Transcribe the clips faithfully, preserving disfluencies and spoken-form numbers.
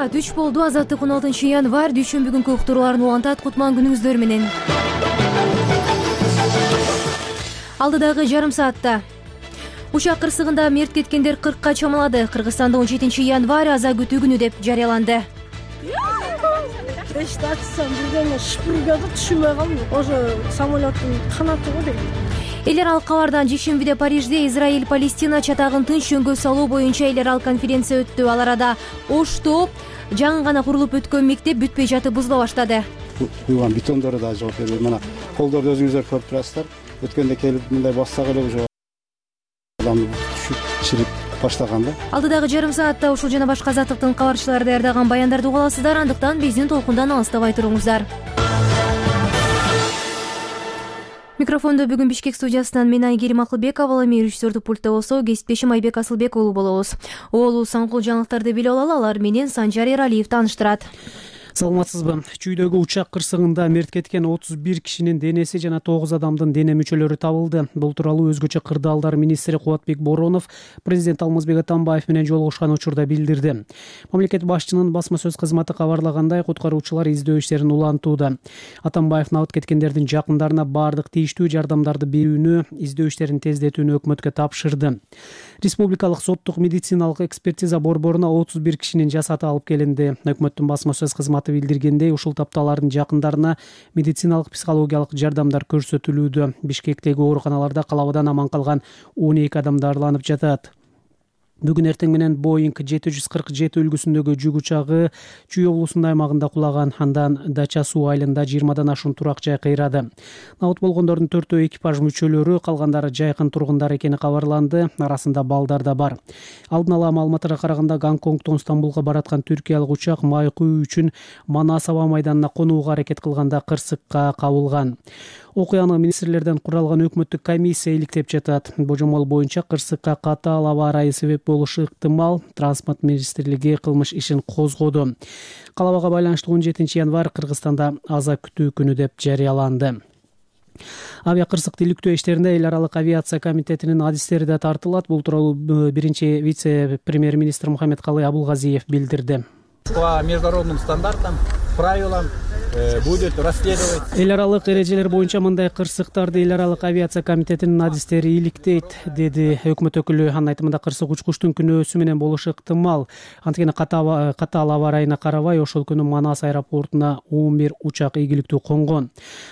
саат үч болду. Азаттык он алтынчы январь дүйшөмбү күнкү уктурууларын улантат. Кутман күнүңүздөр менен. Алдыдагы жарым саатта учак кырсыгында мерт кеткендер кыркка чамалады. Кыргызстанда он жетинчи январь аза күтүү күнү деп жарыяланды. Эшикти ачсам бирдене шпургады, түшүнбөй калдым. Ошо самолеттин канаты го дейт. Эл аралык кабардан жешембиде Парижде Израиль-Палестина чатагын тынч жөнгө салуу боюнча эл аралык конференция өттү. Ал арада Ошто жаңы гана курулуп өткөн мектеп бүтпөй жатып бузула баштады. Куйган бетондору да жооп бербейт. Мына колдорду өзүңүздөр көрүп турасыздар. Өткөндө келип мындай бассак эле уже адам түшүп чирип баштаган да. Алдыдагы жарым саатта ушул жана башка азаттыктын кабарчылары даярдаган баяндарды уга аласыздар. Андыктан биздин толкундан алыстабай туруңуздар. Микрофондо бүгүн Бишкек студиясынан мен Айгерим Акылбекова, эми режиссердик пультта болсо кесиптешим Айбек Асылбек уулу болобуз. Оолу саңкул жаңылыктарды билип алалы, алар менен Санжар Эралиев тааныштырат. Саламатсызбы? Чүйдөгү учак кырсыгында мерт кеткен отуз бир кишинин денеси жана тогуз адамдын дене мүчөлөрү табылды. Бул тууралуу өзгөчө кырдаалдар министри Кубатбек Боронов президент Алмазбек Атамбаев менен жолугушкан учурда билдирди. Мамлекет башчынын басма сөз кызматы кабарлагандай, куткаруучулар издөө иштерин улантууда. Атамбаев набыт кеткендердин жакындарына бардык тийиштүү жардамдарды берүүнү, издөө иштерин тездетүүнү өкмөткө тапшырды. Республикалык соттук медициналык экспертиза борборуна отуз бир кишинин жасаты алып келинди. Өкмөттүн басма сөз кызматы билдиргендей, ушул тапталардын жакындарына медициналык психологиялык жардамдар көрсөтүлүүдө. Бишкектеги ооруканаларда калабадан аман калган он эки адам дарыланып жатат. Бүгүн эртең менен Боинг жети жүз кырк жети үлгүсүндөгү жүк учагы Чүй облусунун аймагында кулаган. Андан Дача суу айылында жыйырмадан ашуун турак жай кыйрады. Набыт болгондордун төртөө экипаж мүчөлөрү, калгандары жайкын тургундар экени кабарланды. Арасында балдар да бар. Алдын ала маалыматтарга караганда, Гонконгдон Стамбулга бараткан түркиялык учак май куюу үчүн Манас аба майданына конууга аракет кылганда кырсыкка кабылган. Окуяны министрлерден куралган өкмөттүк комиссия иликтеп жатат. Божомол боюнча кырсыкка катаал аба ырайы себеп болушу ыктымал. Транспорт министрлиги кылмыш ишин козгоду. Калабага байланыштуу он жетинчи январь Кыргызстанда аза күтүү күнү деп жарыяланды. Авиа кырсыкты иликтөө иштеринде эл аралык авиация комитетинин адистери да тартылат. Бул тууралуу биринчи вице-премьер-министр Мухаммедкалый Абулгазиев билдирди. По международным стандартам, правилам будет расследовать. Эл аралык эрежелер боюнча мындай кырсыктарды эл аралык авиация комитетинин адистери иликтейт, деди өкмөт өкүлү. Анын айтымында, кырсык учкучтун күнөөсү менен болушу ыктымал. Анткени катаал аба ырайына карабай, ошол күнү Манас аэропортуна он бир учак ийгиликтүү конгон.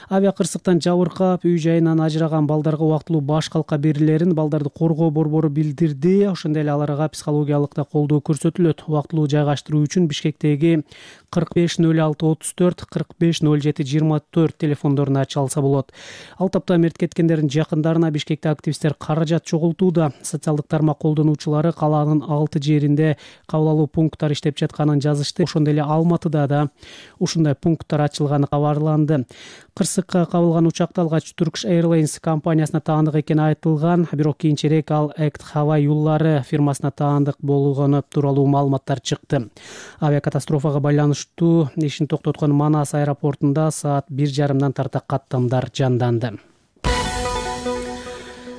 Авиа кырсыктан жабыркап, үй жайынан ажыраган балдарга убактылуу баш калка берилерин балдарды коргоо борбору билдирди. Ошондой эле аларга психологиялык да колдоо көрсөтүлөт. Убактылуу жайгаштыруу үчүн Бишкектеги кырк беш ноль алты отуз төрт кырк беш ноль жети жыйырма төрт телефондоруна чалса болот. Ал тапта мерт кеткендердин жакындарына Бишкекте активисттер каражат чогултууда. Социалдык тармак колдонуучулары калаанын алты жеринде кабыл алуу пункттары иштеп жатканын жазышты. Ошондой эле Алматыда да ушундай пункттар ачылганы кабарланды. Кырсыкка кабылган учакты алгач Turkish Airlines компаниясына таандык экени айтылган, бирок кийинчерээк ал Act Hava юллары фирмасына таандык болгону тууралуу маалыматтар чыкты. Авиакатастрофага байланыштуу ишин токтоткон Манас аэропортунда саат бир жарымдан тарта каттамдар жанданды.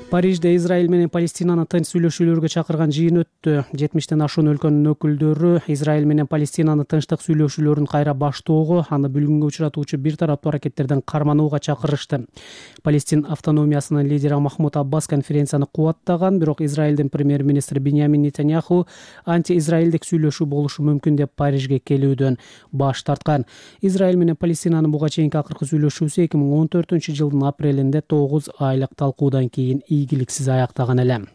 Парижде Израиль менен Палестинаны тынч сүйлөшүүлөргө чакырган жыйын өттү. жетимиштен ашуун өлкөнүн өкүлдөрү Израиль менен Палестинаны тынчтык сүйлөшүүлөрүн кайра баштоого, аны бүлгүнгө учуратуучу бир тараптуу аракеттерден карманууга чакырышты. Палестин автономиясынын лидери Махмуд Аббас конференцияны кубаттаган, бирок Израилдин премьер-министри Биньямин Нетаньяху анти-израилдик сүйлөшүү болушу мүмкүн деп Парижге келүүдөн баш тарткан. Израиль менен Палестинанын буга чейинки акыркы сүйлөшүүсү эки миң он төртүнчү жылдын апрелинде тогуз айлык талкуудан кийин ийгиликсиз аяктаган эле.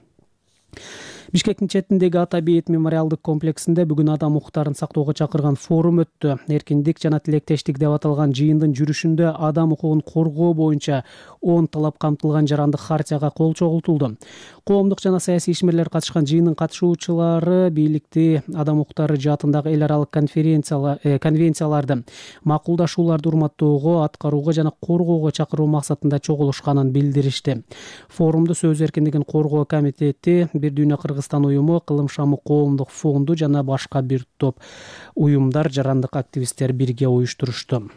Бишкектин четиндеги Ата Бейит мемориалдык комплексинде бүгүн адам укуктарын сактоого чакырган форум өттү. Эркиндик жана тилектештик деп аталган жыйындын жүрүшүндө адам укугун коргоо боюнча он талап камтылган жарандык хартияга кол чогултулду. Коомдук жана саясий ишмерлер катышкан жыйындын катышуучулары бийликти адам укуктары жаатындагы эл аралык конвенцияларды макулдашууларды урматтоого, аткарууга жана коргоого чакыруу максатында чогулушканын билдиришти. Форумду Сөз эркиндигин коргоо комитети, Бир дүйнө Кыргызстан уюму, Кылым шамы коомдук фонду жана башка бир топ уюмдар, жарандык активисттер бирге уюштурушту.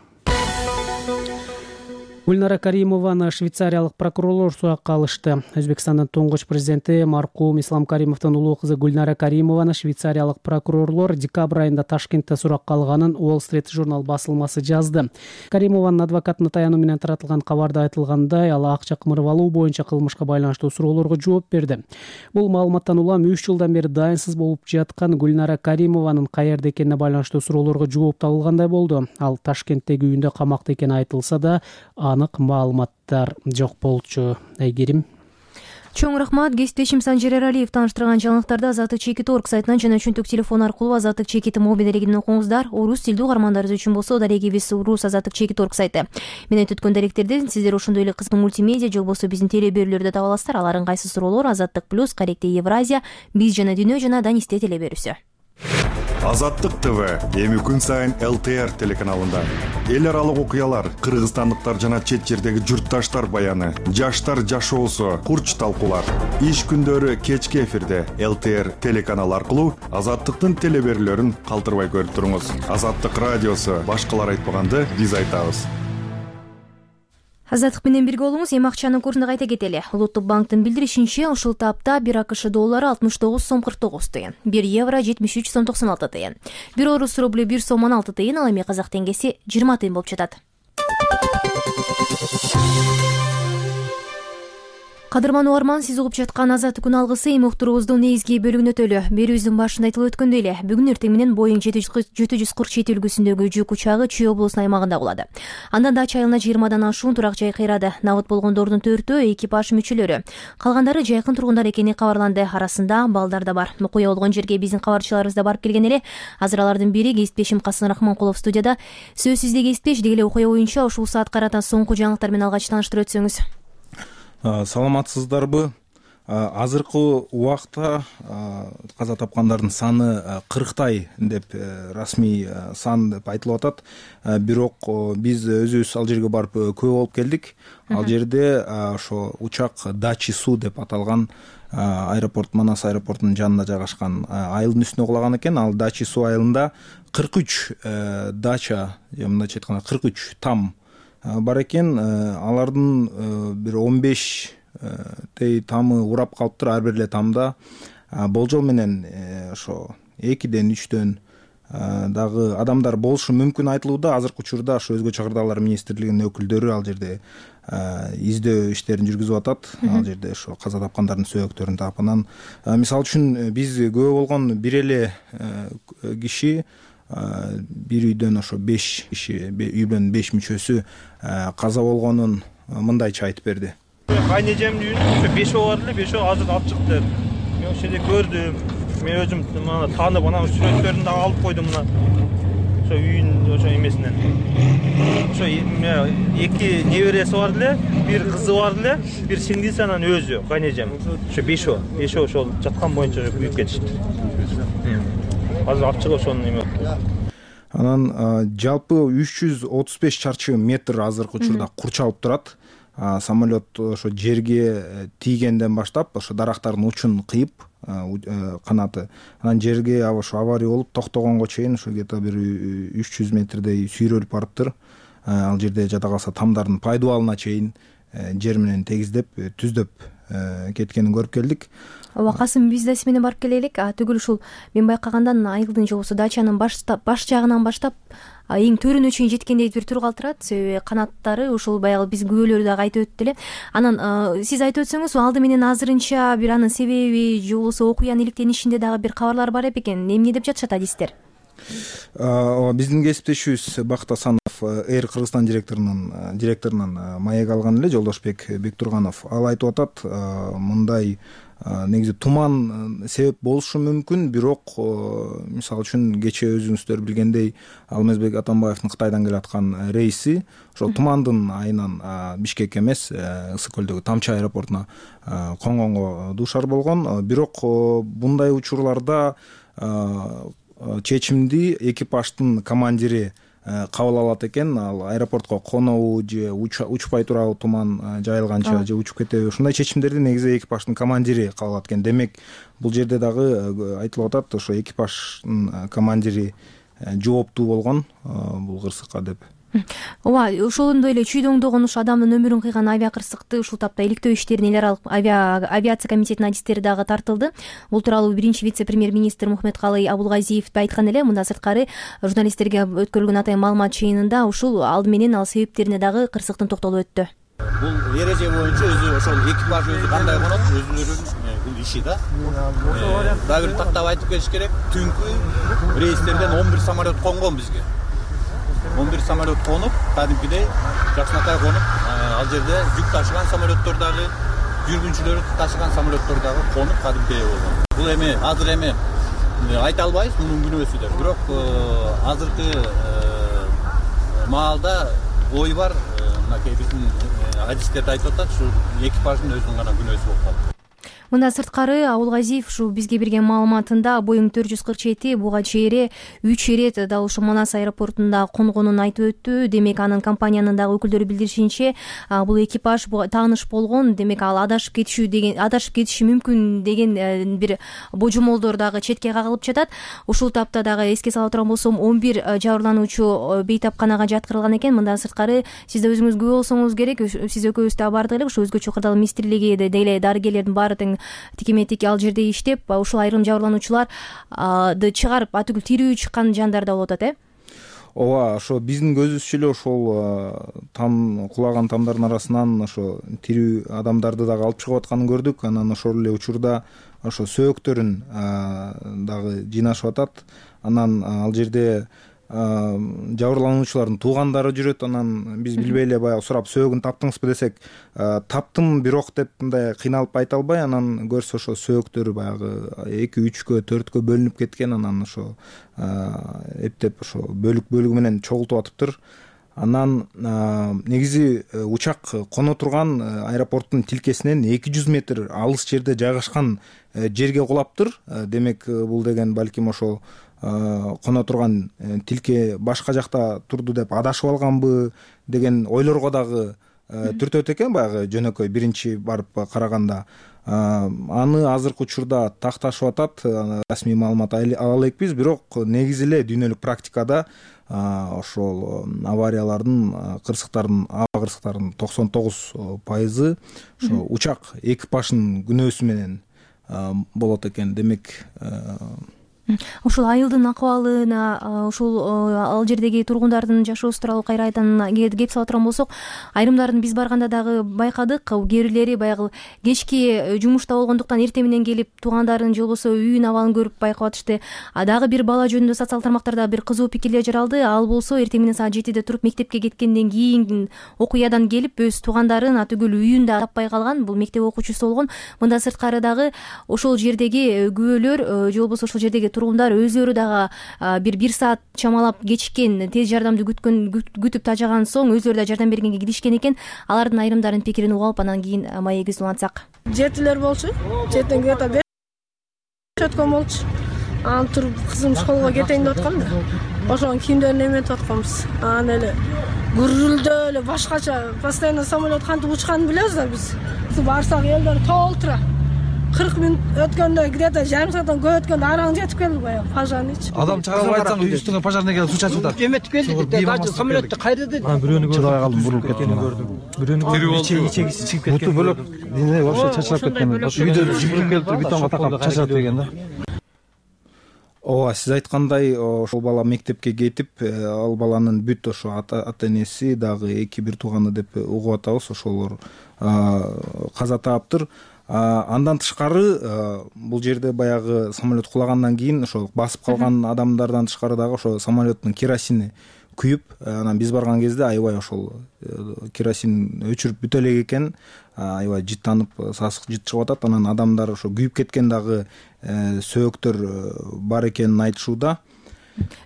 Гүлнара Каримованы швейцариялык прокурорлор суракка алышты. Өзбекстандын туңгуч президенти маркум Ислам Каримовдун улуу кызы Гүлнара Каримованы швейцариялык прокурорлор декабрь айында Ташкентте суракка алганын Wall Street журнал басылмасы жазды. Каримованын адвокатына таянуу менен таратылган кабарда айтылгандай, ал акча кымырып алуу боюнча кылмышка байланыштуу суроолорго жооп берди. Бул маалыматтан улам үч жылдан бери дайынсыз болуп жаткан Гүлнара Каримованын каерде экенине байланыштуу суроолорго жооп табылгандай болду. Ал Ташкенттеги үйүндө камакта экени айтылса да, анык маалыматтар жок болчу. Айгерим. Чоң рахмат. Кесиптешим Санжир Эралиев тааныштырган жаңылыктарды Азаттык чекит орг сайтынан жана чөнтөк телефон аркылуу Азаттык чекит мобил дарегинен окуңуздар. Орус тилдүү угармандарыбыз үчүн болсо дарегибиз Урус Азаттык чекит орг сайты. Мен айтып өткөн даректерди сиздер ошондой эле кызыктуу мультимедиа же болбосо биздин теле берүүлөрдө таба аласыздар. Алардын кайсы суроолор Азаттык плюс, Каректе Евразия, Биз жана Дүйнө жана Данисте теле берүүсү. Азаттык ТВ эми күн сайын эл тэ эр телеканалында эл аралык окуялар, кыргызстандыктар жана чет жердеги журтташтар баяны, жаштар жашоосу, курч талкуулар. Иш күндөрү кечки эфирде эл тэ эр телеканалы аркылуу Азаттыктын теле берүүлөрүн калтырбай көрүп туруңуз. Азаттык радиосу башкалар айтпаганды биз айтабыз. Азаттык менен бирге болуңуз. Эми акчанын курсун кайта кетели. Улуттук банктын билдиришинче, ушул тапта бир АКШ доллары алтымыш тогуз сом кырк тогуз тыйын, бир евро жетимиш үч сом токсон алты тыйын, бир орус рублю бир сом он алты тыйын, ал эми казак теңгеси жыйырма тыйын болуп жатат. Кадырман угарман, сиз угуп жаткан Азаттык күн алгысы эми уктуруубуздун негизги бөлүгүнө өтөлү. Берүүбүздүн башында айтылып өткөндөй эле, бүгүн эртең менен Боeing жети жүз кырк жети үлгүсүндөгү жүк учагы Чүй облусунун аймагында кулады. Андан Дача айылына жыйырмадан ашуун турак жай кыйрады. Набыт болгондордун төртөө экипаж мүчөлөрү. Калгандары жайкын тургундар экени кабарланды. Арасында балдар да бар. Окуя болгон жерге биздин кабарчыларыбыз да барып келген эле. Азыр алардын бири кесиптешим Касым Рахманкулов студияда. Сөзсүз эле кесиптеш, деги эле окуя боюнча ушул саат карата соңку жаңылыктар менен алгач тааныштырып өтсөңүз. Саламатсыздарбы? Азыркы убакта каза тапкандардын саны кырктай деп расмий сан деп айтылып атат. Бирок биз өзүбүз ал жерге барып күбө болуп келдик. Ал жерде ошо учак Дачи-Су деп аталган аэропорт, Манас аэропортунун жанында жайгашкан айылдын үстүнө кулаган экен. Ал Дачи-Су айылында кырк үч дача, мындайча айтканда кырк үч там бар экен. Алардын бир он беш тей тамы урап калыптыр. Ар бир эле тамда болжол менен ошо экиден үчтөн дагы адамдар болушу мүмкүн айтылууда. Азыркы учурда ошо Өзгө чакырдалар министрлигинин өкүлдөрү ал жерде издөө иштерин жүргүзүп атат. Ал жерде ошо каза тапкандардын сөөктөрүн таап, анан мисалы үчүн биз күбө болгон бир эле киши, бир үйдөн ошо беш киши, үйдөн беш мүчөсү каза болгонун мындайча айтып берди. Кайнежемдин үйүнө бешөө бар эле, бешөө азыр алып чыкты. Мен ошол жерде көрдүм. Мен өзүм мына таанып, анан сүрөттөрүн да алып койдум мына. Ошо үйүн ошо эмесинен. Ошо эки небереси бар эле, бир кызы бар эле, бир сиңдиси, анан өзү кайнежем. Ошо бешөө, бешөө ошол жаткан боюнча күйүп кетишти. Азыр алып чыгып ошону эме. Анан жалпы үч жүз отуз беш чарчы метр азыркы учурда курчалып турат. Самолет ошо жерге тийгенден баштап ошо дарактардын учун кыйып канаты, анан жерге ошо авария болуп токтогонго чейин ошо где-то бир үч жүз метрдей сүйрөлүп барыптыр. Ал жерде жада калса тамдардын пайдубалына чейин жер менен тегиздеп, түздөп кеткенин көрүп келдик. Ооба, Касым, биз да сиз менен барып келе элек. Түгүл ушул мен байкагандан айылдын же болбосо дачанын баш баш жагынан баштап эң төрүнө чейин жеткендей бир тур калтырат. Себеби канаттары ушул баягы биз күбөлөрү дагы айтып өттү эле. Анан сиз айтып өтсөңүз, алды менен азырынча бир анын себеби же болбосо окуянын иликтенишинде дагы бир кабарлар бар экен. Эмне деп жатышат адистер? Биздин кесиптешибиз Бакыт Асанов Эйр Кыргызстан директорунун директорунан маек алган эле, Жолдошбек Бектурганов. Ал айтып атат, мындай негизи туман себеп болушу мүмкүн, бирок мисалы үчүн кечээ өзүңүздөр билгендей Алмазбек Атамбаевдин Кытайдан келаткан рейси ошол тумандын айынан Бишкек эмес, Ысык көлдөгү Тамчы аэропортуна конгонго дуушар болгон. Бирок мындай учурларда чечимди экипаждын командири кабыл алат экен. Ал аэропортко конобу же учпай турабы туман жайылганча же учуп кетеби, ушундай чечимдерди негизи экипаждын командири кабыл алат экен. Демек бул жерде дагы айтылып атат, ошо экипаждын командири жооптуу болгон бул кырсыкка деп. ооба, ошондой эле чүйдө оңдогон ушу адамдын өмүрүн кыйган авиа кырсыкты ушул тапта иликтөө иштерине эл аралык авиация комитетинин адистери дагы тартылды. Бул тууралуу биринчи вице-премьер-министр Мухметкалый Абулгазиев айткан эле. Мындан сырткары журналисттерге өткөрүлгөн атайын маалымат жыйынында ушул алды менен ал себептерине дагы кырсыктын токтолуп өттү. Бул эреже боюнча өзү ошол экипаж өзү кандай конот, өзүнүн бул иши да. Дагы бир тактап айтып кетиш керек. Түнкү рейстерден он бир самолет конгон бизге. он бир самолет конуп, кадимкидей жакшынакай конуп, ал жерде жүк ташыган самолеттор дагы, жүргүнчүлөр ташыган самолеттор дагы конуп кадимкидей болгон. Бул эми азыр эми айта албайбыз мунун күнөөсү деп. Бирок азыркы маалда ой бар, мынакей биздин адистерди айтып атат, ушу экипаждын өзүнүн гана күнөөсү болуп калды. Мындан сырткары Абулгазиев ушу бизге берген маалыматында Боeing төрт жүз кырк жети буга чейин үч ирет дал ушу Манас аэропортунда конгонун айтып өттү. Демек анын компаниянын дагы өкүлдөрү билдиришинче, бул экипаж тааныш болгон, демек ал адашып кетишүү деген адашып кетиши мүмкүн деген бир божомолдор дагы четке кагылып жатат. Ушул тапта дагы эске сала турган болсом, он бир жабырлануучу бейтапканага жаткырылган экен. Мындан сырткары сиз да өзүңүз күбө болсоңуз керек, сиз экөөбүз да бардык эле ушу өзгөчө кырдаал министрлиги деле дарыгерлердин баары тең тикеметик ал жерде иштеп, ушул айрым жабырлануучуларды чыгарып, атүгүл тирүү чыккан жандар да болуп атат, э? Ооба, ошо биздин көзүбүзчө эле ошол там кулаган тамдардын арасынан ошо тирүү адамдарды дагы алып чыгып атканын көрдүк. Анан ошол эле учурда ошо сөөктөрүн дагы жыйнашып атат. Анан ал жерде жабырлануучулардын туугандары жүрөт. Анан биз билбей эле баягы сурап, сөөгүн таптыңызбы десек, таптым бирок деп мындай кыйналып айта албай, анан көрсө ошо сөөктөр баягы эки үчкө төрткө бөлүнүп кеткен. Анан ошо эптеп ошо бөлүк бөлүгү менен чогултуп атыптыр. Анан негизи учак коно турган аэропорттун тилкесинен эки жүз метр алыс жерде жайгашкан жерге кулаптыр. Демек бул деген балким ошол коно турган тилке башка жакта турду деп адашып алганбы деген ойлорго дагы түртөт экен баягы жөнөкөй биринчи барып караганда. Аны азыркы учурда такташып атат, расмий маалымат ала элекпиз, бирок негизи эле дүйнөлүк практикада ошол авариялардын кырсыктардын аба кырсыктардын токсон тогуз пайызы ошо учак экипаждын күнөөсү менен болот экен. Демек ушул айылдын акыбалына, ушул ал жердеги тургундардын жашоосу тууралуу кайрадан кеп сала турган болсок, айрымдарын биз барганда дагы байкадык. Кээ бирлери баягы кечки жумушта болгондуктан эртең менен келип туугандарын же болбосо үйүнүн абалын көрүп байкап атышты. А дагы бир бала жөнүндө социалдык тармактарда бир кызуу пикирлер жаралды. Ал болсо эртең менен саат жетиде туруп мектепке кеткенден кийин окуядан келип өз туугандарын атүгүл үйүндө таппай калган. Бул мектеп окуучусу болгон. Мындан сырткары дагы ошол жердеги күбөлөр же болбосо ошол жердеги тургундар өзүлөрү дагы бир бир саат чамалап кечиккен, тез жардамды күткөн күтүп тажаган соң өзүлөрү да жардам бергенге киришкен экен. Алардын айрымдарынын пикирин угуп алып, анан кийин маегибизди улантсак. Жетилер болчу. Жетен где-то беш өткөн болчу. Анан туруп кызым школго кетейин деп аткам да. Ошонун кийимдерин эметип атканбыз. Анан эле гүрүлдөө эле башкача постоянно самолет кантип учканын билебиз да биз. Барсак элдер толтура. кырк мүнөт өткөндө, где-то жарым сааттан көп өткөндө араң жетип келди баягы пожарныйчы. Адам чыгарып айтсаң үстүңө пожарный келип суу чачып атат. Эметип келди, дагы самолетти кайда деди. Бирөөнү чыдабай калдым, бурулуп кеткенин көрдүм. Бирөөнү ичеги чыгып кеткен. Буту бөлөк, дене вообще чачырап кеткен. Үйдө жибирип келип бетонго такап чачырап берген да. Ооба, сиз айткандай, ошол бала мектепке кетип, ал баланын бүт ошо ата-энеси дагы эки бир тууганы деп угуп атабыз, ошолор каза тааптыр. Андан тышкары бул жерде баягы самолет кулагандан кийин ошо басып калган адамдардан тышкары дагы ошо самолеттин керосини күйүп, анан биз барган кезде аябай ошол керосин өчүрүп бүтө элек экен, аябай жыттанып, сасык жыт чыгып атат. Анан адамдар ошо күйүп кеткен дагы сөөктөр бар экенин айтышууда.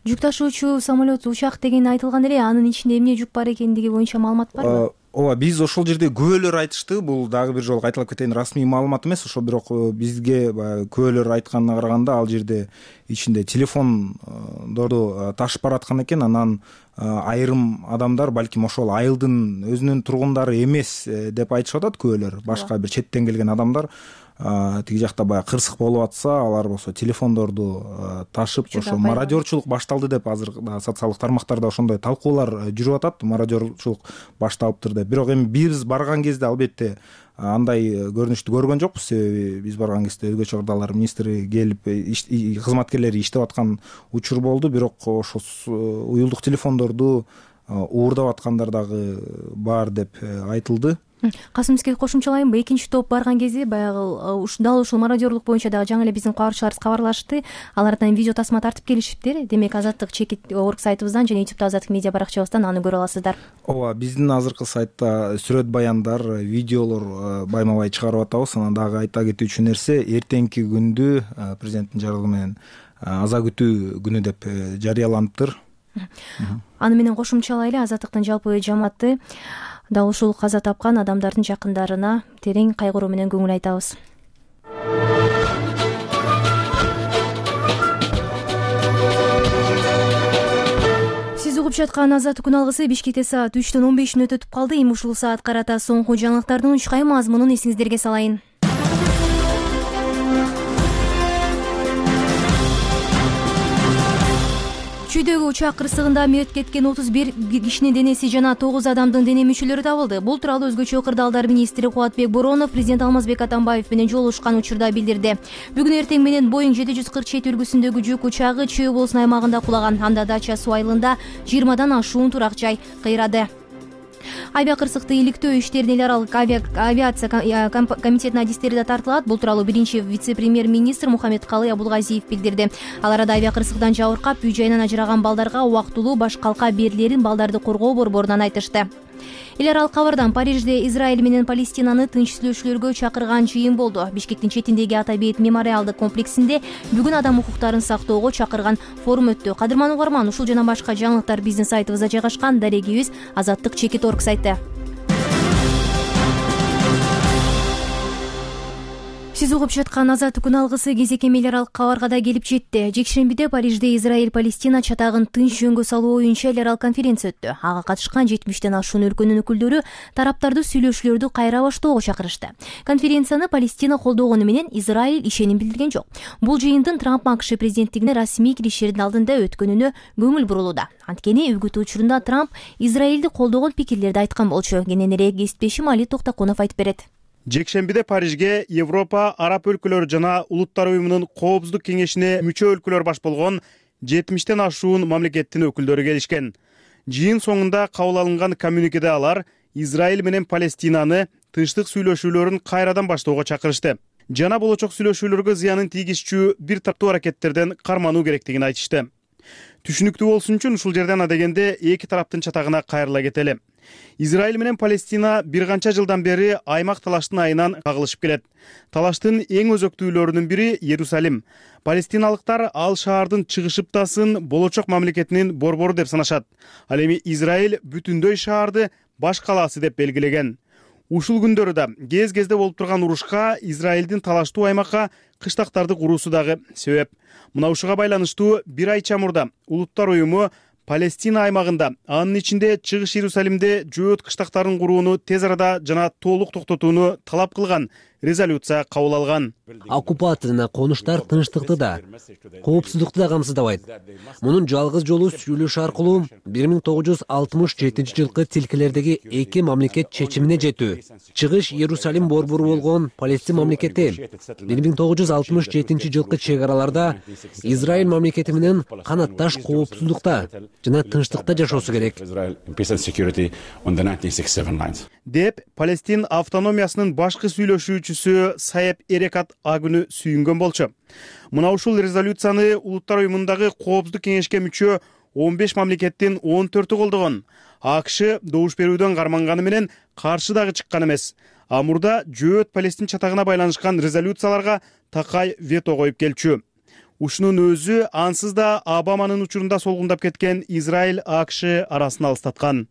Жүк ташуучу самолет учак деген айтылган эле, анын ичинде эмне жүк бар экендиги боюнча маалымат барбы? Ооба, биз ошол жерде күбөлөр айтышты. Бул дагы бир жолу кайталап кетейин, расмий маалымат эмес, ошо бирок бизге күбөлөр айтканына караганда ал жерде ичинде телефондорду ташып бараткан экен. Анан айрым адамдар балким ошол айылдын өзүнүн тургундары эмес деп айтышып атат күбөлөр, башка бир четтен келген адамдар. тиги жакта баягы кырсык болуп атса, алар болсо телефондорду ташып ошо мародерчулук башталды деп азыр социалдык тармактарда ошондой талкуулар жүрүп атат. Мародерчулук башталыптыр деп. Бирок эми биз барган кезде албетте андай көрүнүштү көргөн жокпуз. Себеби биз барган кезде өзгөчө кырдаалдар министри келип кызматкерлери иштеп аткан учур болду. Бирок ошо уюлдук телефондорду уурдап аткандар дагы бар деп айтылды. Касымовский кошумчалайынбы, экинчи топ барган кезде баягы дал ушул мародерлук боюнча дагы жаңы эле биздин кабарчыларыбыз кабарлашты. Алардан видео тасма тартып келишиптир. Демек Азаттык чекит орг сайтыбыздан жана ютубта Азаттык медиа баракчабыздан аны көрө аласыздар. Ооба, биздин азыркы сайтта сүрөт баяндар, видеолор байма-бай чыгарып атабыз. Анан дагы айта кетүүчү нерсе, эртеңки күндү президенттин жарлыгы менен аза күтүү күнү деп жарыяланыптыр. Аны менен кошумчалайлы, Азаттыктын жалпы жамааты дал ушул каза тапкан адамдардын жакындарына терең кайгыруу менен көңүл айтабыз. Сиз угуп жаткан Азаттык күн алгысы Бишкекте саат үчтөн он бешин өтүп калды. Эми ушул саат карата соңку жаңылыктардын учкай мазмунун эсиңиздерге салайын. Чүйдөгү учак кырсыгында мерт кеткен отуз бир кишинин денеси жана тогуз адамдын дене мүчөлөрү табылды. Бул тууралуу өзгөчө кырдаалдар министри Кубатбек Боронов президент Алмазбек Атамбаев менен жолугушкан учурда билдирди. Бүгүн эртең менен Боинг жети жүз кырк жети үлгүсүндөгү жүк учагы Чүй облусунун аймагында кулаган. Анда дача суу айылында жыйырмадан ашуун турак жай кыйрады. Авиакырсыкты иликтөө иштерине эл аралык авиация комитетинин адистери да тартылат. Бул тууралуу биринчи вице-премьер-министр Мухаммедкалый Абулгазиев билдирди. Ал арада авиакырсыктан жабыркап, үй жайынан ажыраган балдарга убактылуу баш калка берилерин балдарды коргоо борборунан айтышты. Эл аралык кабардан Парижде Израиль менен Палестинаны тынч сүйлөшүүлөргө чакырган жыйын болду. Бишкектин четиндеги Ата Бейит мемориалдык комплексинде бүгүн адам укуктарын сактоого чакырган форум өттү. Кадырман угарман, ушул жана башка жаңылыктар биздин сайтыбызда жайгашкан. Дарегибиз Азаттык чекит орг сайты. Сиз угуп жаткан Азаттык күн алгысы кезек эми эл аралык кабарга да келип жетти. Жекшембиде Парижде Израиль-Палестина чатагын тынч жөнгө салуу боюнча эл аралык конференция өттү. Ага катышкан жетимиштен ашуун өлкөнүн өкүлдөрү тараптарды сүйлөшүүлөрдү кайра баштоого чакырышты. Конференцияны Палестина колдогону менен Израиль ишеним билдирген жок. Бул жыйындын Трамп АКШ президенттигине расмий киришердин алдында өткөнүнө көңүл бурулууда. Анткени үгүт учурунда Трамп Израилди колдогон пикирлерди айткан болчу. Кененирээк кесиптешим Али Токтоконов айтып берет. Жекшембиде Парижге Европа, Араб өлкөлөрү жана Улуттар уюмунун Коопсуздук кеңешине мүчө өлкөлөр баш болгон жетимиштен ашуун мамлекеттин өкүлдөрү келишкен. Жыйын соңунда кабыл алынган коммюникеде алар Израиль менен Палестинаны тынчтык сүйлөшүүлөрүн кайрадан баштоого чакырышты. Жана болочок сүйлөшүүлөргө зыянын тийгизчү бир таптуу аракеттерден кармануу керектигин айтышты. Түшүнүктүү болсун үчүн ушул жерден адегенде эки тараптын чатагына кайрыла кетели. Израиль менен Палестина бир канча жылдан бери аймак талаштын айынан кагылышып келет. Талаштын эң өзөктүүлөрүнүн бири Иерусалим. Палестиналыктар ал шаардын чыгышыптасын болочок мамлекетинин борбору деп санашат. Ал эми Израиль бүтүндөй шаарды баш калаасы деп белгилеген. Ушул күндөрү да кез-кезде болуп турган урушка Израилдин талаштуу аймакка кыштактарды куруусу дагы себеп. Мына ушуга байланыштуу бир ай чамурда Улуттар уюму Палестина аймагында, анын ичинде Чыгыш Иерусалимде жөөт кыштактарын курууну тез арада жана толук токтотууну талап кылган резолюция кабыл алган. Оккупация жана конуштар тынчтыкты да, коопсуздукту да камсыздабайт. Мунун жалгыз жолу сүйлөшүү аркылуу бир миң тогуз жүз алтымыш жетинчи жылкы тилкелердеги эки мамлекет чечимине жетүү. Чыгыш Иерусалим борбору болгон Палестин мамлекети бир миң тогуз жүз алтымыш жетинчи жылкы чек араларда Израиль мамлекети менен канатташ коопсуздукта жана тынчтыкта жашоосу керек деп Палестин автономиясынын башкы сүйлөшүүчүсү Саеп Эрекат агүнү сүйүнгөн болчу. Мына ушул резолюцияны Улуттар уюмундагы Коопсуздук кеңешке мүчө он беш мамлекеттин он төртү колдогон. АКШ добуш берүүдөн карманганы менен каршы дагы чыккан эмес. А мурда жөөт Палестин чатагына байланышкан резолюцияларга такай вето коюп келчү. Ушунун өзү ансыз да Обаманын учурунда солгундап кеткен Израиль АКШ арасын алыстаткан.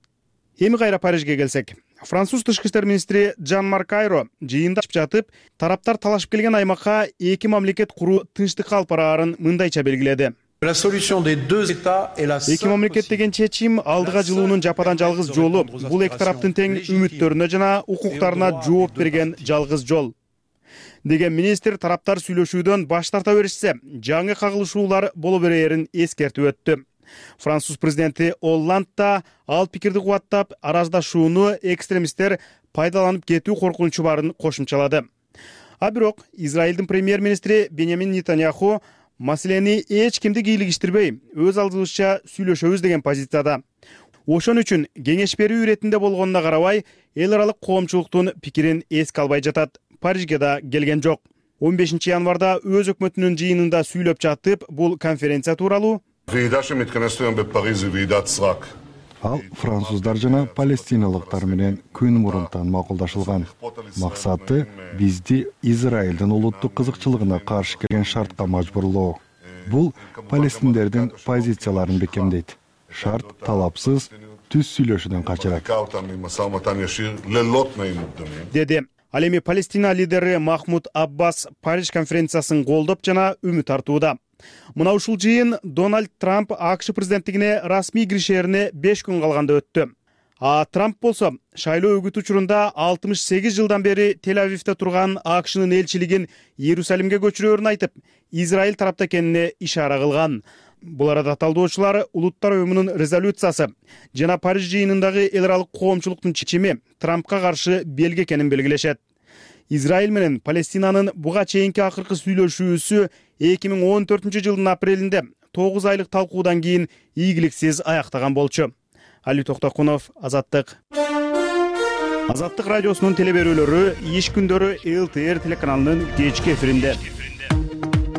Эми кайра Парижге келсек. Француз тышкы иштер министри Жан-Марк Айро жыйында жатып, тараптар талашып келген аймакка эки мамлекет куруу тынчтыкка алып бараарын мындайча белгиледи. Эки мамлекет деген чечим алдыга жылуунун жападан жалгыз жолу. Бул эки тараптын тең үмүттөрүнө жана укуктарына жооп берген жалгыз жол. деген министр тараптар сүйлөшүүдөн баш тарта беришсе, жаңы кагылышуулар боло берээрин эскертип өттү. Француз президенти Олланд да ал пикирди кубаттап, араздашууну экстремисттер пайдаланып кетүү коркунучу барын кошумчалады. А бирок Израилдин премьер-министри Беньямин Нетаньяху маселени эч кимди кийлигиштирбей, өз алдыбызча сүйлөшөбүз деген позицияда. Ошон үчүн кеңеш берүү иретинде болгонуна карабай, эл аралык коомчулуктун пикирин эске албай жатат. Парижге да келген жок. он бешинчи январда өз өкмөтүнүн жыйынында сүйлөп жатып, бул конференция тууралуу ал француздар жана палестиналыктар менен күн мурунтан макулдашылган. Максаты бизди Израилдин улуттук кызыкчылыгына каршы келген шартка мажбурлоо. Бул палестиндердин позицияларын бекемдейт. Шарт талапсыз түз сүйлөшүүдөн качырат, деди. Ал эми Палестина лидери Махмуд Аббас Париж конференциясын колдоп жана үмүт артууда. Мына ушул жыйын Дональд Трамп АКШ президенттигине расмий киришерине беш күн калганда өттү. А Трамп болсо шайлоо өгүт учурунда алтымыш сегиз жылдан бери Тель-Авивде турган АКШнын элчилигин Иерусалимге көчүрөөрүн айтып, Израиль тарапта экенине ишара кылган. Бул арада талдоочулар Улуттар уюмунун резолюциясы жана Париж жыйынындагы эл аралык коомчулуктун чечими Трампка каршы белги экенин белгилешет. Израиль менен Палестинанын буга чейинки акыркы сүйлөшүүсү эки миң он төртүнчү жылдын апрелинде тогуз айлык талкуудан кийин ийгиликсиз аяктаган болчу. Али Токтокунов, Азаттык. Азаттык радиосунун телеберүүлөрү иш күндөрү эл тэ эр телеканалынын кечки эфиринде.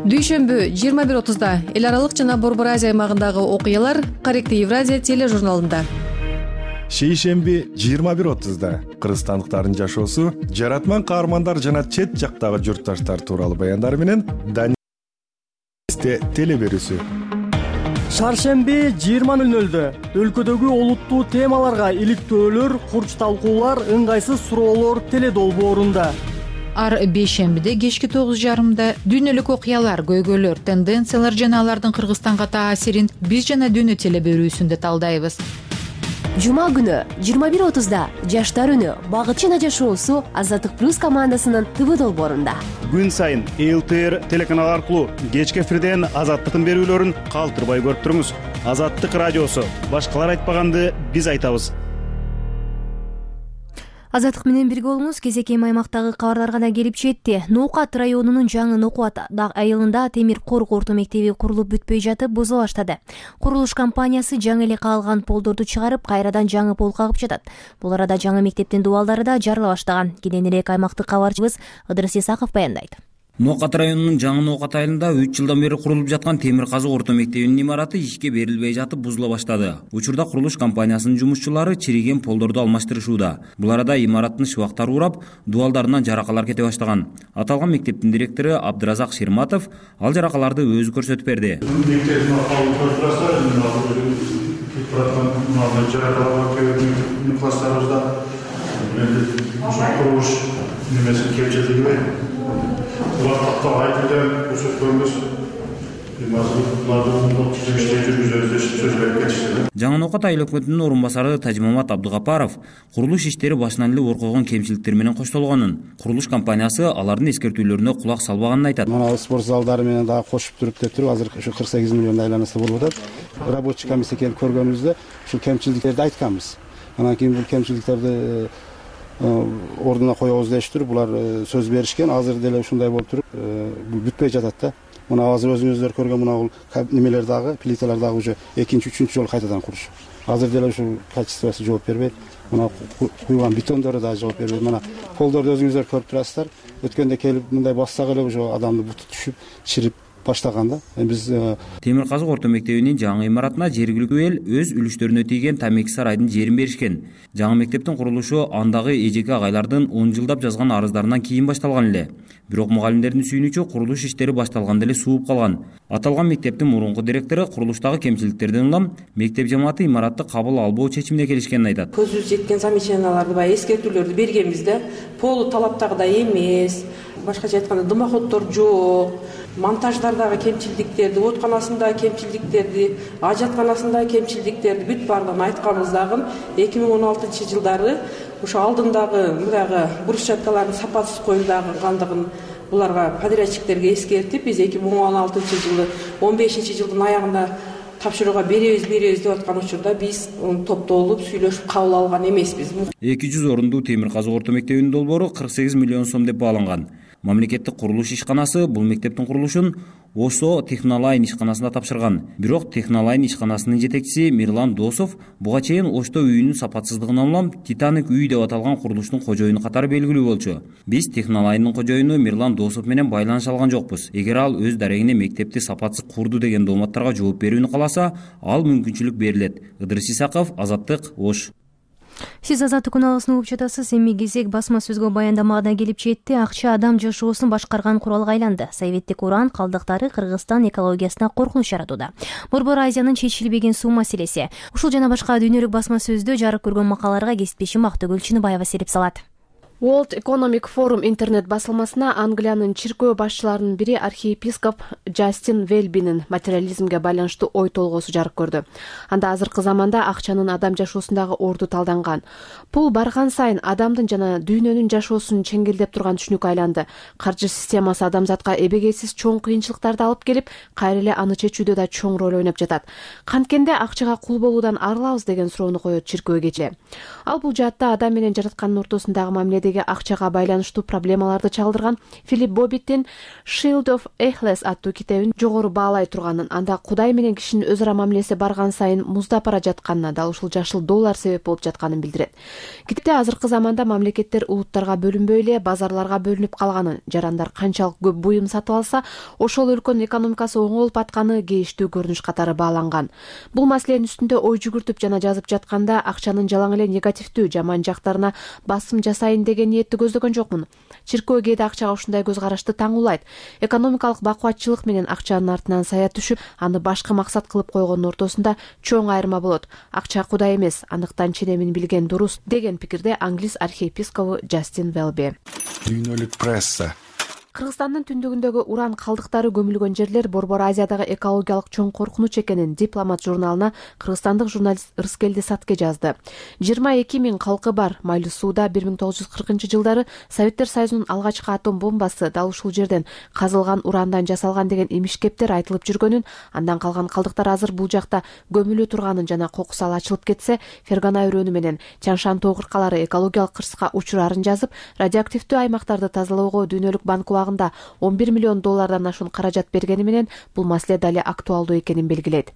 Дүйшөмбү жыйырма бир отузда эл аралык жана Борбор Азия аймагындагы окуялар Корректив Евразия тележурналында. Шейшемби жыйырма бир отузда кыргызстандыктардын жашоосу, жаратман каармандар жана чет жактагы журтташтар тууралуу баяндар менен Данисте телеберүүсү. Шаршемби жыйырма нөл нөлдө өлкөдөгү олуттуу темаларга иликтөөлөр, курч талкуулар, ыңгайсыз суроолор теледолбоорунда. Ар бейшембиде кечки тогуз жарымда дүйнөлүк окуялар, көйгөйлөр, тенденциялар жана алардын Кыргызстанга таасирин биз жана дүйнө телеберүүсүндө талдайбыз. Жума күнү жыйырма бир отузда Жаштар үнү Багыт жана жашоосу Азаттык плюс командасынын ТВ долбоорунда. Күн сайын эл тэ эр телеканалы аркылуу кечки эфирден Азаттыктын берүүлөрүн калтырбай көрүп туруңуз. Азаттык радиосу. Башкалар айтпаганды биз айтабыз. Азаттык менен бирге болуңуз. Кезекем аймактагы кабарларга да келип жетти. Ноокат районунун жаңы Ноокат айылында темир корк орто мектеби курулуп бүтпөй жатып бузула баштады. Курулуш компаниясы жаңы эле каалган полдорду чыгарып, кайрадан жаңы пол кагып жатат. Бул арада жаңы мектептин дубалдары да жарыла баштаган. Кененирээк аймактык кабарчыбыз Ыдырыс Исаков баяндайт. Ноокат районунун жаңы Ноокат айылында үч жылдан бери курулуп жаткан темир казык орто мектебинин имараты ишке берилбей жатып бузула баштады. Учурда курулуш компаниясынын жумушчулары чириген полдорду алмаштырышууда. Бул арада имараттын шыбактары урап, дубалдарынан жаракалар кете баштаган. Аталган мектептин директору Абдыразак Ширматов ал жаракаларды өзү көрсөтүп берди. Жаңы Ноокат айыл өкмөтүнүн орун басары Тажмамат Абдыгапаров курулуш иштери башынан эле ор койгон кемчиликтер менен коштолгонун, курулуш компаниясы алардын эскертүүлөрүнө кулак салбаганын айтат. Мына спорт залдары менен дагы кошуп туруп деп туруп, азыр ушу кырк сегиз миллион айланасы болуп атат. Рабочий комиссия келип көргөнүбүздө ушул кемчиликтерди айтканбыз. Анан кийин бул кемчиликтерди ордуна коебуз дештир. Булар сөз беришкен. Азыр деле ушундай болуп туруп, бүтпөй жатат да. Мына азыр өзүңүздөр көргөн мына бул немелер дагы, плиталар дагы уже экинчи, үчүнчү жолу кайтадан курулуш. Азыр деле ушул качествосы жооп бербейт. Мына куйган бетондору да жооп бербейт. Мына полдорду өзүңүздөр көрүп турасыздар. Өткөндө келип мындай бассак эле уже адамдын буту түшүп, чирип баштаган да. Биз темир казык орто мектебинин жаңы имаратына жергиликтүү эл өз үлүштөрүнө тийген Тамеки сарайдын жерин беришкен. Жаңы мектептин курулушу андагы эжеке агайлардын он жылдап жазган арыздарынан кийин башталган эле. Бирок мугалимдердин сүйүнүчө курулуш иштери башталганда эле сууп калган. Аталган мектептин мурунку директору курулуштагы кемчиликтерден улам мектеп жамааты имаратты кабыл албоо чечимине келишкенин айтат. Көзүбүз жеткен замечанияларды баягы эскертүүлөрдү бергенбиз да. Полу талаптагыдай эмес, башкача айтканда дымоходдор жок, монтаждардагы кемчилдиктерди, отканасындагы кемчилдиктерди, ажатканасындагы кемчилдиктерди бүт баардыгын айтканбыз дагы. эки миң он алтынчы жылдары ошо алдындагы мындагы брусчаткалардын сапасыз коюлгандыгын буларга подрядчиктерге эскертип, биз эки миң он алтынчы жылы он бешинчи жылдын аягында тапшырууга беребиз беребиз деп аткан учурда биз топтолуп сүйлөшүп кабыл алган эмеспиз. эки жүз орундуу темир казык орто мектебинин долбоору кырк сегиз миллион сом деп бааланган. Мамлекеттик курулуш ишканасы бул мектептин курулушун ОСО Технолайн ишканасына тапшырган. Бирок Технолайн ишканасынын жетекчиси Мирлан Досов буга чейин Ошто үйүнүн сапатсыздыгынан улам Титаник үй деп аталган курулуштун кожоюну катары белгилүү болчу. Биз Технолайндын кожоюну Мирлан Досов менен байланыша алган жокпуз. Эгер ал өз дарегине мектепти сапатсыз курду деген дооматтарга жооп берүүнү кааласа, ал мүмкүнчүлүк берилет. Ыдырыс Исаков, Азаттык, Ош. Сиз Азаттык күн угуп жатасыз. Эми кезек басма сөзгө баяндамага келип жетти. Акча адам жашоосун башкарган куралга айланды. Советтик уран калдыктары Кыргызстан экологиясына коркунуч жаратууда. Борбор Азиянын чечилбеген суу маселеси. Ушул жана башка дүйнөлүк басма сөздө жарык көргөн макалаларга кесиптешим Актөгүл Чыныбаева сереп салат. World Economic Forum интернет басылмасына Англиянын чиркөө башчыларынын бири архиепископ Джастин Велбинин материализмге байланыштуу ой толгоосу жарык көрдү. Анда азыркы заманда акчанын адам жашоосундагы орду талданган. Пул барган сайын адамдын жана дүйнөнүн жашоосун чеңгелдеп турган түшүнүк айланды. Каржы системасы адамзатка эбегейсиз чоң кыйынчылыктарды алып келип, кайра эле аны чечүүдө да чоң роль ойноп жатат. Канткенде акчага кул болуудан арылабыз деген суроону коет чиркөө кече. Ал бул жаатта адам менен жараткандын ортосундагы мамиледе акчага байланыштуу проблемаларды чалдырган Филипп Боббиттин Shield of Achilles аттуу китебин жогору баалай турганын, анда Кудай менен кишинин өз ара мамилеси барган сайын муздап бара жатканына, дал ушул жашыл доллар себеп болуп жатканын билдирет. Китепте азыркы заманда мамлекеттер улуттарга бөлүнбөй эле базарларга бөлүнүп калганын, жарандар канчалык көп буюм сатып алса, ошол өлкөнүн экономикасы оңолуп атканы кейиштүү көрүнүш катары бааланган. Бул маселенин үстүндө ой жүгүртүп жана жазып жатканда акчанын жалаң эле негативдүү, жаман жактарына басым жасайын деген ниетти көздөгөн жокмун. Чиркөө кээде акчага ушундай көз карашты таңуулайт. Экономикалык бакубатчылык менен акчанын артынан сая түшүп, аны башкы максат кылып койгондун ортосунда чоң айырма болот. Акча Кудай эмес, аныктан ченемин билген дурус деген пикирде англис архиепископу Джастин Велби. Дүйнөлүк пресса. Кыргызстандын түндүгүндөгү уран калдыктары көмүлгөн жерлер Борбор Азиядагы экологиялык чоң коркунуч экенин Дипломат журналына кыргызстандык журналист Ырыскелди Сатке жазды. жыйырма эки миң калкы бар Майлуу сууда бир миң тогуз жүз кыркынчы жылдары Советтер Союзунун алгачкы атом бомбасы дал ушул жерден казылган урандан жасалган деген имиш-кептер айтылып жүргөнүн, андан калган калдыктар азыр бул жакта көмүлүп турганын жана кокусу ал ачылып кетсе, Фергана өрөөнү менен Чаңшан тоо кыркалары экологиялык кырсыкка учурарын жазып, радиоактивдүү аймактарды тазалоого Дүйнөлүк банк он бир миллион доллардан ашуун каражат бергени менен бул маселе дали актуалдуу экенин белгилейт.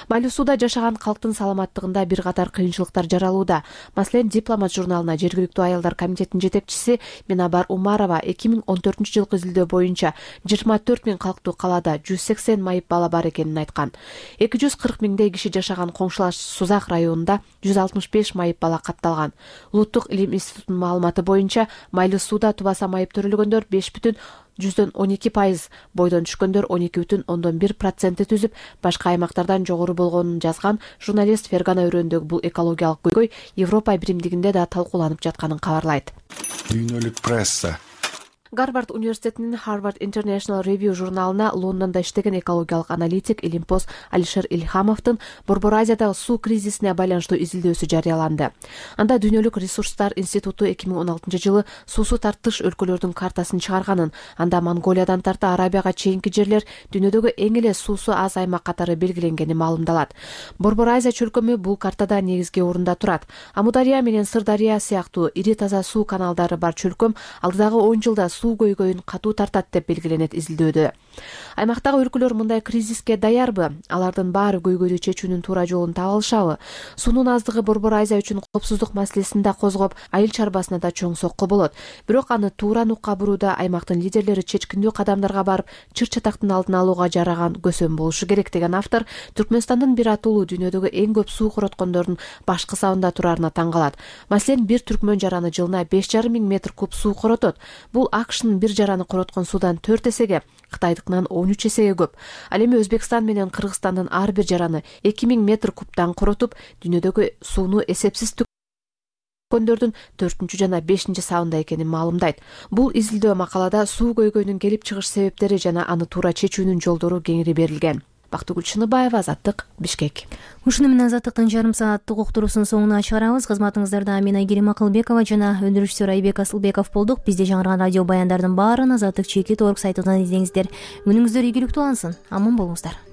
Майлуу сууда жашаган калктын саламаттыгында бир катар кыйынчылыктар жаралууда. Маселен, Дипломат журналына жергиликтүү аялдар комитетинин жетекчиси Минабар Умарова эки миң он төртүнчү жылкы изилдөө боюнча жыйырма төрт миң калктуу калаада жүз сексен майып бала бар экенин айткан. эки жүз кырк миңдей киши жашаган коңшулаш Сузак районунда жүз алтымыш беш майып бала катталган. Улуттук илим институтунун маалыматы боюнча Майлуу сууда тубаса майып төрөлгөндөр беш бүтүн жүздөн он эки пайыз, бойдон түшкөндөр он эки бүтүн ондон бир процентти түзүп, башка аймактардан жогору болгонун жазган журналист Фергана өрөөндөгү бул экологиялык көйгөй Европа биримдигинде да талкууланып жатканын кабарлайт. Дүйнөлүк пресса. Гарвард университетинин Harvard International Review журналына Лондондо иштеген экологиялык аналитик Илимпоз Алишер Ильхамовдун Борбор Азиядагы суу кризисине байланыштуу изилдөөсү жарыяланды. Анда Дүйнөлүк ресурстар институту эки миң он алтынчы жылы суусу тартыш өлкөлөрдүн картасын чыгарганын, анда Монголиядан тарта Арабияга чейинки жерлер дүйнөдөгү эң эле суусу аз аймак катары белгиленгени маалымдалат. Борбор Азия чөлкөмү бул картада негизги орунда турат. Амудария менен Сырдария сыяктуу ири таза суу каналдары бар чөлкөм алдыдагы он жылда суу көйгөйүн катуу тартат деп белгиленет изилдөөдө. Аймактагы өлкөлөр мындай кризиске даярбы? Алардын баары көйгөйдү чечүүнүн туура жолун таба алышабы? Суунун аздыгы Борбор Азия үчүн коопсуздук маселесин да козгоп, айыл чарбасына да чоң сокку болот. Бирок аны туура нукка бурууда аймактын лидерлери чечкиндүү кадамдарга барып, чыр-чатактын алдын алууга жараган көсөм болушу керек деген автор Түркмөнстандын бир атуулуу дүйнөдөгү эң көп суу короткондордун башкы сабында турарына таң калат. Маселен, бир түркмөн жараны жылына беш жарым миң метр куб суу коротот. Бул АКШнын бир жараны короткон суудан төрт эсеге, Кытайдыкынан он үч эсеге көп. Ал эми Өзбекстан менен Кыргызстандын ар бир жараны эки миң метр кубтан коротуп, дүйнөдөгү сууну эсепсиз төккөндөрдүн төртүнчү жана бешинчи сабында экенин маалымдайт. Бул изилдөө макалада суу көйгөйүнүн келип чыгыш себептери жана аны туура чечүүнүн жолдору кеңири берилген. Бактыгүл Чыныбаева, Азаттык, Бишкек. Ушуну менен Азаттыктын жарым сааттык уктуруусун соңуна чыгарабыз. Кызматыңыздарда мен Айгерим Акылбекова жана өндүрүшчү Айбек Асылбеков болдук. Бизде жаңырган радио баяндардын баарын Азаттык чекит орг сайтынан издеңиздер. Күнүңүздөр ийгиликтүү улансын. Аман болуңуздар.